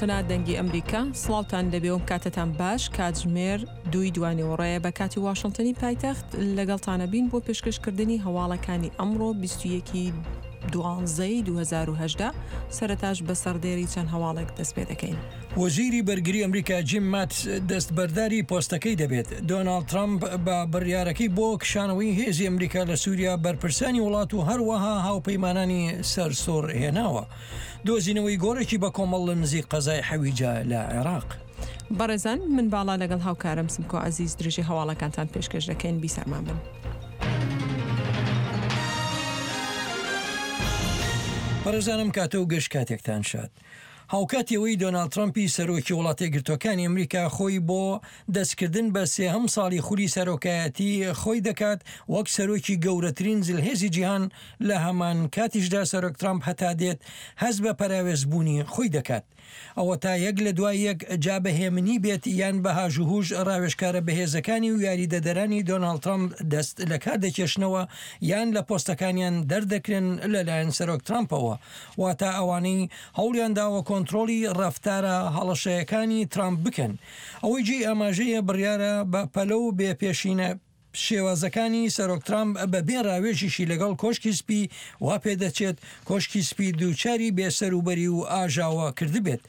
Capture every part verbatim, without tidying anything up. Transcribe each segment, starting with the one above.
دەنگی ئەمریکا، سڵاوتان لەبێ و کاتتان باش. کاتژمێر دووی دوانیوەڕۆیە بە کاتی واشنگتنی پایتەخت. لەگەڵتانە بین بۆ پێشکەشکردنی هەواڵەکانی ئەمڕۆ بیست و یەک دوانزەی دوو هەزار و هەژدە. سەرەتاش بە سەردێری چەند هەواڵێک دەست پێ دەکەین. وەزیری بەرگری ئەمریکا جیم ماتس دەستبەرداری پۆستەکەی دەبێت. دۆناڵد ترەمپ بە بڕیارەکەی بۆ کشانەوەی هێزی ئەمریکا لە سووریا بەرپرسانی وڵات و هەروەها هاوپەیمانانی سەرسوڕ هێناوە. دۆزینەوەی گۆڕێکی بە کۆمەڵ لە نزیک قەزای حەویجە لە عێراق. بەڕێزان، من باڵا لەگەڵ هاوکارم سمکۆ عەزیز درێژەی هەواڵەکانتان پێشکەش دەکەین. بیسەرمان بن. بەڕێزانم کاتە و گەشت کاتێکتان شاد. هاوکاتی ئەوەی دۆناڵد ترەمپی سەرۆکی وڵاتەیەکگرتووەکانی ئەمریکا خۆی بۆ دەستکردن بە سێهەم ساڵی خولی سەرۆکایەتی خۆی دەکات وەک سەرۆکی گەورەترین زلهێزی جیهان، لە هەمان کاتیشدا سەرۆک ترەمپ هەتا دێت هەست بە پەراوێزبوونی خۆی دەکات. ئەوە تا یەک لە دوای یەک جا بە هێمنی بێت یان بە هاژوهوژ ڕاوێژکارە بەهێزەکانی و یاریدەدەرانی دۆناڵد ترەمپ دەست لە کار دەکێشنەوە یان لە پۆستەکانیان دەردەکرێن لەلایەن سەرۆک ترەمپەوە، واتە ئەوانەی هەوڵیان داوە کۆنترۆڵی ڕەفتارە هەڵەشەیەکانی ترامپ بکەن. ئەوەی جێی ئاماژەیە بڕیارە بە پەلە و بێ پێشینە شێوازەکانی سەرۆک ترامپ بە بێ ڕاوێژیشی لەگەڵ کۆشکی سپی وا پێدەچێت کۆشکی سپی دووچاری بێسەروبەری و ئاژاوە کردبێت.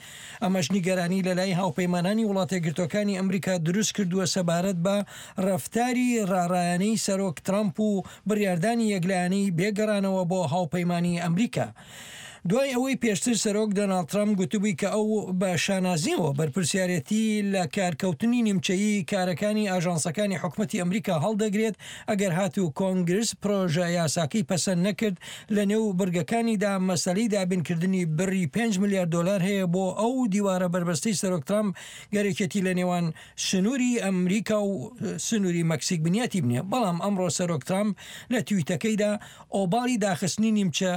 ئەمەش نیگەرانی لە لای هاوپەیمانانی وڵاتەیەکگرتووەکانی ئەمریکا دروست کردووە سەبارەت بە ڕەفتاری ڕاڕایانەی سەرۆک ترامپ و بڕیاردانی یەکلایەنەی بێگەڕانەوە بۆ هاوپەیمانی ئەمریکا. دوای ئەوەی پێشتر سەرۆک دۆناڵد ترەمپ گوتبووی کە ئەو بە شانازیەوە بەرپرسیارەتی لە کارکەوتنی نیمچەیی کارەکانی ئاژانسەکانی حکومەتی ئەمریکا هەڵدەگرێت ئەگەر هاتوو کۆنگرس پرۆژە یاساکەی پەسەند نەکرد، لە نێو بڕگەکانیدا مەسەلەی دابینکردنی بڕی پێنج ملیار دۆلار هەیە بۆ ئەو دیوارە بەربەستەی سەرۆک ترەمپ گەرەکێتی لە نێوان سنووری ئەمریکا و سنووری مەکسیک بنیاتی بنێ. بەڵام ئەمڕۆ سەرۆک ترەمپ لە تویتەکەیدا ئۆباڵی داخستنی نیمچە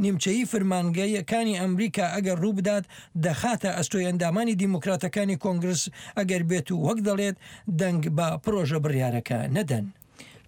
نیمچەیی فرمانگەکانی ئەمریکا ئەگەر ڕوو بدات دەخاتە ئەستۆی ئەندامانی دیموکراتەکانی کۆنگرس ئەگەر بێت و وەک دەڵێت دەنگ بە پرۆژە بڕیارەکە نەدەن.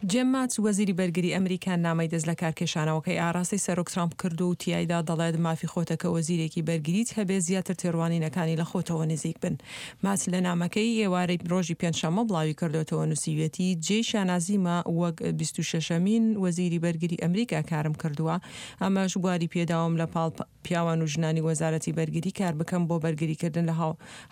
جیم ماتس وەزیری بەرگری ئەمریکا نامەی دەست لە کارکێشانەوەکەی ئاراستەی سەرۆک ترامپ کرد و تیایدا دەڵێت مافی خۆتە کە وەزیرێکی بەرگریت هەبێ زیاتر تێڕوانینەکانی لە خۆتەوە نزیک بن. ماتس لە نامەکەی ئێوارەی ڕۆژی پێنجشەممە بڵاوی کردوێتەوە نووسیویەتی جێی شانازیمە وەک بیست و شەشەمین وەزیری بەرگری ئەمریکا کارم کردووە، ئەمەش بواری پێداوم لە پاڵ پیاوان و ژنانی وەزارەتی بەرگری کار بکەم بۆ بەرگریکردن لە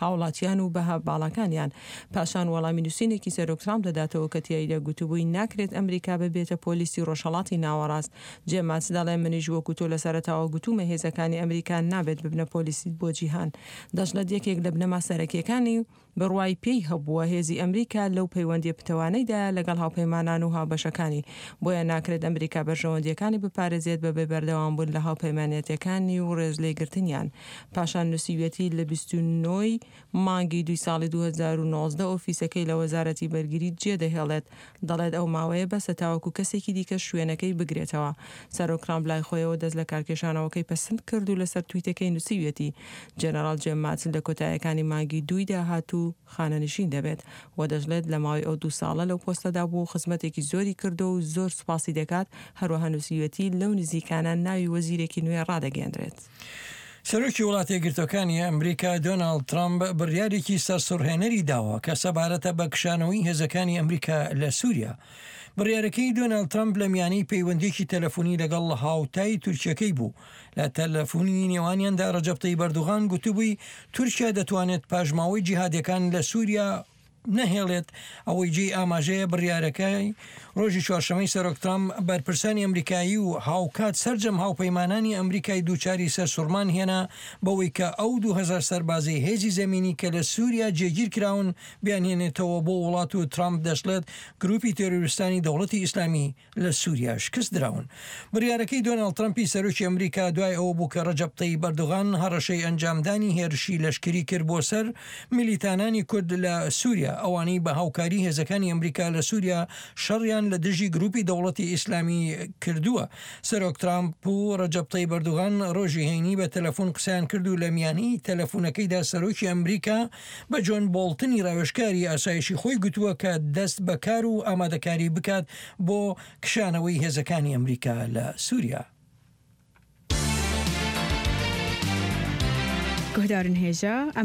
هاوڵاتیان و بەها باڵاکانیان. پاشان وەڵامی نووسینێکی سەرۆک ترامپ دەداتەوە کە تیایدا گوتبووی ناکرێت ئەمریکا ببێتە پۆلیسی ڕۆژهەڵاتی ناوەڕاست. جیم ماتس دەڵێ منیش وەکو تۆ لە سەرەتاوە گوتومە هێزەکانی ئەمریکا نابێت ببنە پۆلیسی بۆ جیهان. دەشڵێت یەکێک لە بنەما سەرەکیەکانی بڕوای پێی هەبووە هێزی ئەمریکا لەو پەیوەندیە پتەوانەیدا لەگەڵ هاوپەیمانان و هاوبەشەکانی، بۆیە ناکرێت ئەمریکا بەرژەوەندیەکانی بپارێزێت بە بێ بەردەوام بوون لە هاوپەیمانەتەکانی و ڕێزلێگرتنیان. پاشان نووسیویەتی لە بیست و نۆی مانگی دوی ساڵی دوو هەزار و نۆزدە ئۆفیسەکەی لە وەزارەتی بەرگری جێدەهێڵێت. دەڵێت ئەو ماوەیە بەسە تاوەکو کەسێکی دیکە شوێنەکەی بگرێتەوە. سەرۆک ترامپ لای خۆیەوە دەست لە کارکێشانەوەکەی پەسند کرد و لەسەر تویتەکەی نووسیویەتی جەنەڕاڵ جیم ماتس لە کۆتاییەکانی مانگی دووی داهاتوو خانەنشین دەبێت و دەشڵێت لە ماوەی ئەو دوو ساڵە لەو پۆستەدا بوو خزمەتێکی زۆری کردو و زۆر سوپاسی دەکات. هەروەها نووسیویەتی لەو نزیکانە ناوی وەزیرێکی نوێ ڕادەگەیەندرێت. سەرۆکی وڵاتەیەکگرتووەکانی ئەمریکا دۆناڵد ترەمپ بڕیارێکی سەرسوڕهێنەری داوە کە سەبارەتە بە کشانەوەی هێزەکانی ئەمریکا لە سووریا. بڕیارەکەی دۆناڵد ترەمپ لە میانەی پەیوەندیەکی تەلەفۆنی لەگەڵ هاوتای تورکیەکەی بوو. لە تەلەفۆنی نێوانیاندا ڕەجەب تەیب ئەردۆغان گوتبووی تورکیا دەتوانێت پاشماوەی جیهادیەکان لە سووریا نەهێڵێت. ئەوەی جێی ئاماژەیە بڕیارەکەی ڕۆژی چوارشەممەی سەرۆک ترامپ بەرپرسانی ئەمریکایی و هاوکات سەرجەم هاوپەیمانانی ئەمریکای دووچاری سەرسوڕمان هێنا بەوەی کە ئەو دوو هەزار سەربازەی هێزی زەمینی کە لە سووریا جێگیر کراون بیانهێنێتەوە بۆ وڵات و ترامپ دەشڵێت گروپی تێرۆریستانی دەوڵەتی ئیسلامی لە سووریا شکست دراون. بڕیارەکەی دۆناڵد ترەمپی سەرۆکی ئەمریکا دوای ئەوە بوو کە ڕەجەب تەیب ئەردۆغان هەڕەشەی ئەنجامدانی هێرشی لەشکری کرد بۆ سەر میلیتانانی کورد لە سووریا، ئەوانەی بە هاوکاری هێزەکانی ئەمریکا لە سووریا شەڕیان لە دژی گروپی دەوڵەتی ئیسلامی کردووە. سەرۆک ترامپ و ڕەجەب تەیب ئەردۆغان ڕۆژی هەینی بە تەلەفۆن قسەیان کرد و لە میانی تەلەفۆنەکەیدا سەرۆکی ئەمریکا بە جۆن بۆڵتنی ڕاوێژکاری ئاسایشی خۆی گوتووە کە دەست بە کار و ئامادەکاری بکات بۆ کشانەوەی هێزەکانی ئەمریکا لە سووریا. Guhdarên hêja.